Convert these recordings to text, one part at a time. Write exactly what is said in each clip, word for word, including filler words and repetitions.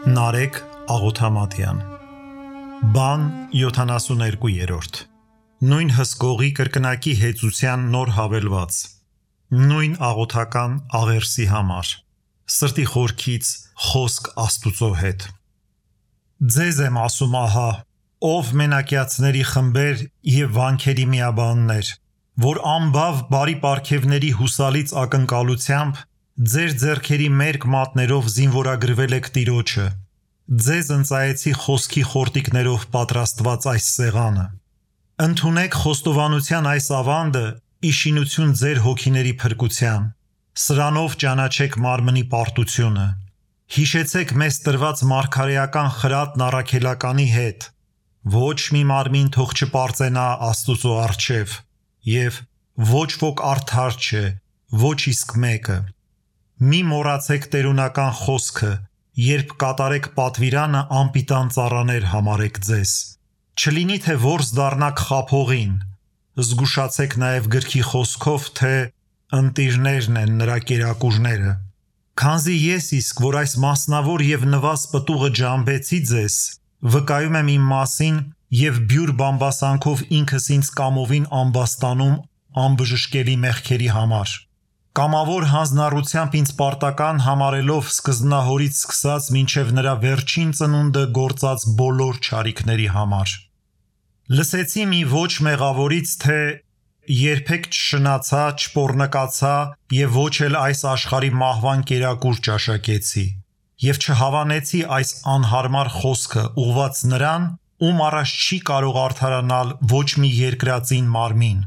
Նարեկ Աղոթամատյան Բան յոթանասուներկուերորդ Նույն հսկողի կրկնակի հեծության նոր հավելված Նույն աղոթական աղերսի համար Սրտի խորքից խոսք Աստուծո հետ Ձեզ եմ ասում ահա ով մենակյացների խմբեր և վանքերի միաբաններ որ ամբավ բարի պարգևների հուսալից ակնկալությամբ ձեր ձեռքերի մերկ մատներով զինվորագրվել եք Տիրոջը Ձեզ ընծայեցի խոսքի խորտիկներով պատրաստված այս սեղանը Ընդունեք խոստովանության այս ավանդը իշխինություն ձեր հոգիների փրկության Սրանով ճանաչեք մարմնի պարտությունը Հիշեցեք մեզ տրված մարգարեական խրատն առաքելականի հետ Ոչ մի մարմին թող չպարծենա Աստուծո առջև և ոչ ոք արդար չէ ոչ իսկ մեկը Մի մոռացեք տերունական խոսքը երբ կատարեք պատվիրանը անպիտան ծառաներ համարեք ձեզ Չլինի թե որս դառնաք խաբողին Զգուշացեք նաև գրքի խոսքով թե ընտիրներն են նրա կերակուրները Քանզի ես իսկ որ այս մասնավոր և նվազ պտուղը ջամբեցի ձեզ վկայում եմ իմ մասին և բյուր բամբասանքով ինքս ինձ կամովին ամբաստանում անբժշկելի մեղքերի համար Կամավոր հանձնառությամբ ինձ պարտական համարելով սկզբնահորից սկսած մինչև նրա վերջին ծնունդը գործած բոլոր չարիքների համար Լսեցի մի ոչ մեղավորից թե երբեք չշնացա, չպոռնկացա և ոչ էլ այս աշխարհի մահվան կերակուր ճաշակեցի և չհավանեցի այս անհարմար խոսքը ուղված նրան ում առաջ չի կարող արդարանալ ոչ մի երկրածին մարմին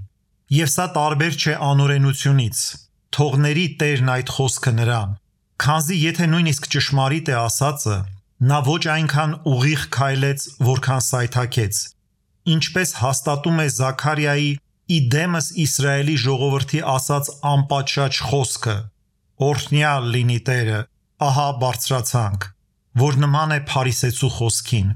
Եվ սա տարբեր չէ անօրենությունից Թող ների Տերն այդ խոսքը նրան Քանզի եթե նույնիսկ ճշմարիտ է ասածը նա ոչ այնքան ուղիղ քայլեց որքան սայթաքեց Ինչպես հաստատում է Զաքարիայի ի դեմս Իսրայելի ժողովրդի ասած անպատշաճ խոսքը Օրհնյալ լինի Տերը ահա բարձրացանք որ նման է փարիսեցու խոսքին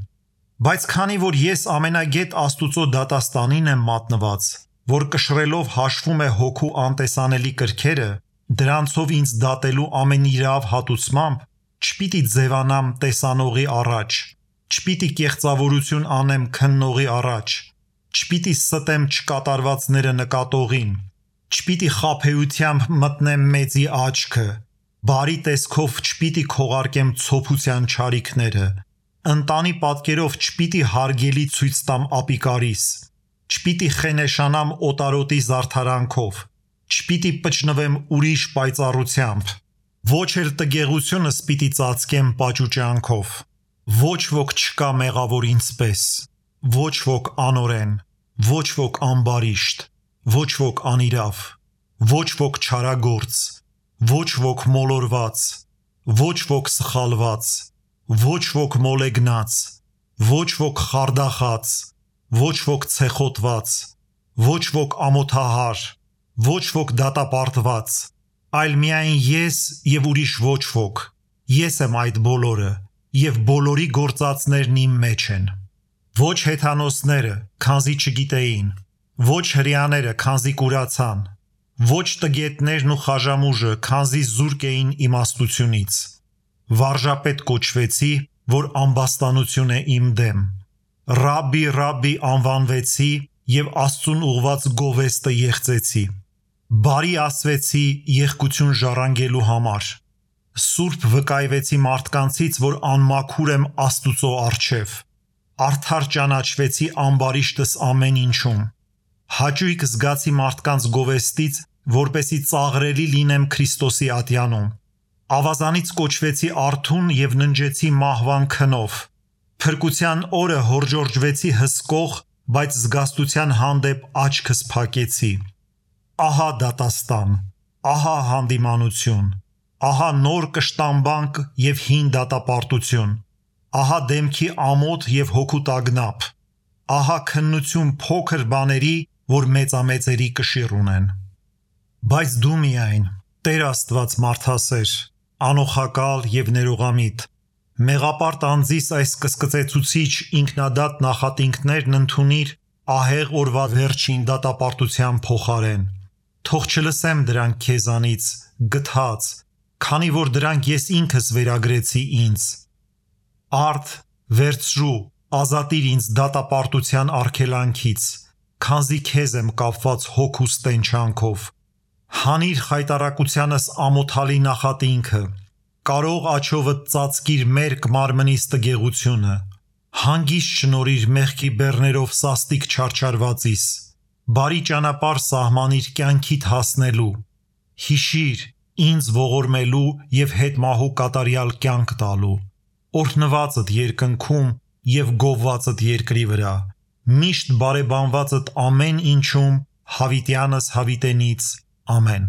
Բայց քանի որ ես ամենագետ Աստուծո դատաստանին եմ մատնված որ կշռելով հաշվում է հոգու անտեսանելի կրքերը դրանցով ինձ դատելու ամենիրավ հատուցմամբ չպիտի ձևանամ տեսանողի առաջ չպիտի կեղծավորություն անեմ քննողի առաջ չպիտի ստեմ չկատարվածները նկատողին չպիտի խաբեությամբ մտնեմ մեծի աչքը բարի տեսքով չպիտի քողարկեմ ցոփության չարիքները ընտանի պատկերով չպիտի հարգելի ցույց տամ ապիկարիս Չպիտի խենեշանամ օտարոտի զարդարանքով Չպիտի պճնվեմ ուրիշ պայծառությամբ Ոչ էլ տգեղությունս պիտի ծածկեմ պաճուճանքով Ոչ ոք չկա մեղավոր ինձպես Ոչ ոք անօրեն Ոչ ոք ամբարիշտ Ոչ ոք անիրավ Ոչ ոք չարագործ Ոչ ոք մոլորված Ոչ ոք սխալված Ոչ ոք մոլեգնած Ոչ ոք խարդախած Ոչ ոք ցեխոտված Ոչ ոք ամոթահար Ոչ ոք դատապարտված Այլ միայն ես և ուրիշ ոչ ոք Ես եմ այդ բոլորը և բոլորի գործածներն իմ մեջ են Ոչ հեթանոսները, քանզի չգիտեին Ոչ հրեաները, քանզի կուրացան Ոչ տգետներն ու խաժամուժը, քանզի զուրկ էին իմաստությունից Վարժապետ կոչվեցի, որ ամբաստանություն է իմ դեմ Ռաբբի, Ռաբբի անվանվեցի և Աստծուն ուղված գովեստը եղծեցի Բարի ասվեցի եղկություն ժառանգելու համար Սուրբ վկայվեցի մարդկանցից, որ անմաքուր եմ Աստուծո առջև Արդար ճանաչվեցի ամբարիշտս ամեն ինչում Հաճույք զգացի մարդկանց գովեստից, որպեսի ծաղրելի լինեմ Քրիստոսի ատյանում Ավազանից կոչվեցի արթուն և ննջեցի մահվան քնով Փրկության օրը հորջորջվեցի հսկող, բայց զգաստության հանդեպ աչքս փակեցի Ահա դատաստան, ահա հանդիմանություն, ահա նոր կշտամբանք և հին դատապարտություն Ահա դեմքի ամոթ և հոգու տագնապ Ահա քննություն փոքր բաների, որ մեծամեծերի կշիռ ունեն Բայց դու միայն, Տեր Աստված մարդասեր, անօխակալ և ներողամիտ Մեղապարտ անձիս այս կսկծեցուցիչ ինքնադատ նախատինքներն ընդունիր ահեղ օրվա վերջին դատապարտության փոխարեն Թող չլսեմ դրանք քեզանից, գթած, քանի որ դրանք ես ինքս վերագրեցի ինձ Արդ վերցրու, ազատիր ինձ դատապարտության արգելանքից, քանզի քեզ եմ կապված հոգուս տենչանքով։ Հանիր խայտարակությանս ամոթալի նախատինքը, կարող աչովդ ծածկիր մերկ մարմնիս տգեղությունը, հանգիստ շնորիր մեղքի բեռներով սաստիկ չարչարվածիս, բարի ճանապարհ սահմանիր կյանքիդ հասնելու, հիշիր ինձ ողորմելու և հետմահու կատարյալ կյանք տալու, օրհնվածդ երկնքում և գովվածդ երկրի վրա, միշտ բարեբանվածդ ամեն ինչում հավիտյանս հավիտենից, ամեն։